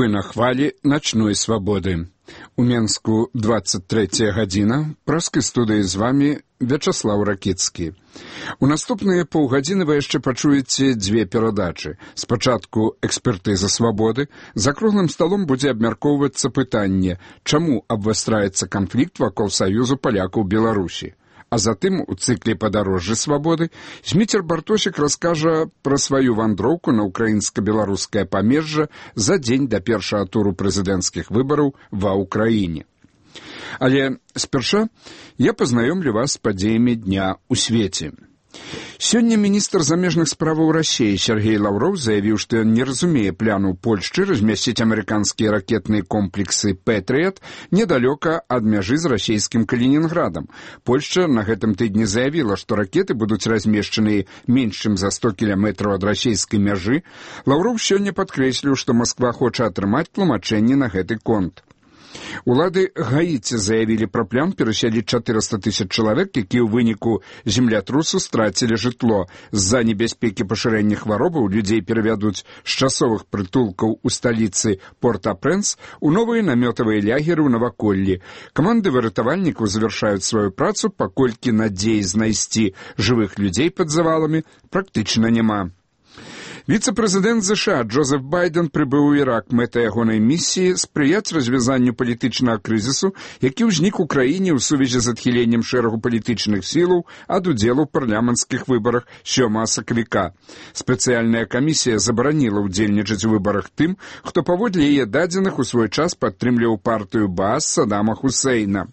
Вы на хвалі начной свабоды. У Менску 23 гадзіна. Праскай студыі з вамі Вячаслаў Ракіцкі. У наступныя паўгадзіны вы яшчэ пачуеце дзве перадачы. Спачатку экспертыза свабоды. За круглым сталом будзе абмяркоўвацца пытанне, чаму абвастраецца канфлікт вакол саюзу палякаў Беларусі. А затым у цыкле «Падарожжы свабоды» Зміцер Бартосік раскажа пра сваю вандроўку на украінска-беларускае памежжа за дзень да першага туру прэзідэнцкіх выбараў ва ўкраіне. Але спярша я пазнаёмлю вас з падзеямі дня ў свеце. Сёння міністр замежных справаў Расіі Сергей Лаўроў заявіў, што ён не разумее плану Польшчы размясціць амерыканскія ракетныя комплексы «Пэтрыят» недалёка ад мяжы з расійскім Калінінградам. Польшча на гэтым тыдні заявіла, што ракеты будуць размешчаны менш чым за 100 кіламетраў ад расійскай мяжы. Лаўроў сёння падкрэсліў, што Масква хоча атрымаць тлумачэнне на гэты конт. Улады Гаіці заявілі пра план перасяліць 400 000 чалавек, якія ў выніку землятрусу страцілі жытло. З-за небяспекі пашырэння хваробаў людзей перавядуць з часовых прытулкаў у сталіцы Порт-а-Прэнс у новыя намётавыя лягеры ў наваколлі. Каманды выратавальнікаў завяршаюць сваю працу, паколькі надзеі знайсці жывых людзей пад заваламі практычна няма. Віцэ-прэзідэнт ЗША Джозеф Байден прыбыў у Ірак. Мэта ягонай місіі спрыяць развязанню палітычнага крызісу, які ўзнік у краіне ў сувязі з адхіленнем шэрагу палітычных сілаў ад удзелу ў парламенцкіх выбарах 7 сакавіка. Спецыяльная камісія забараніла ўдзельнічаць у выбарах тым, хто паводле яе дадзеных у свой час падтрымліваў партыю Баас Садама Хусейна.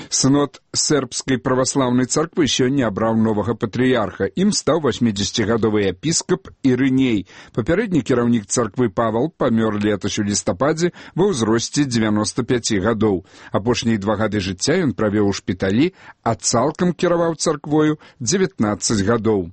Сынод сербскай праваслаўнай царквы сёння абраў новага патрыярха. Ім стаў 80-гадовы епіскап Ірыней. Папярэдні кіраўнік царквы Павал памёр летась у лістападзе ва ўзросце 95 гадоў. Апошнія 2 гады жыцця ён правёў у шпіталі, а цалкам кіраваў царквою 19 гадоў.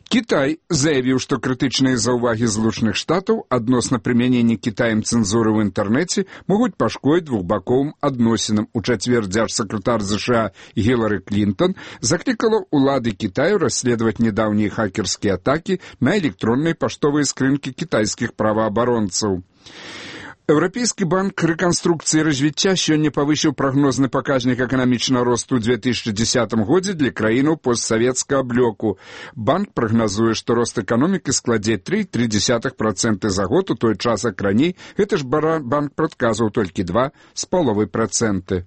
Кітай заявіў, што крытычныя заўвагі Злучаных Штатаў адносна прымянення Кітаем цэнзуры ў інтэрнэце могуць пашкодзіць двухбаковым адносінам. У чацвер дзяржсакратар ЗША Гілары Клінтон заклікала ўлады Кітаю расследаваць нядаўнія хакерскія атакі на электронныя паштовыя скрынкі кітайскіх праваабаронцаў. Еўрапейскі банк рэканструкцыі і развіцця сёння павысіў прагнозны паказнік эканамічнага росту ў 2010 годзе для краінаў постсавецкага блоку. Банк прагназуе, што рост эканомікі складзе 3,3% за год, у той час, як раней гэты ж банк прадказваў толькі 2,5%.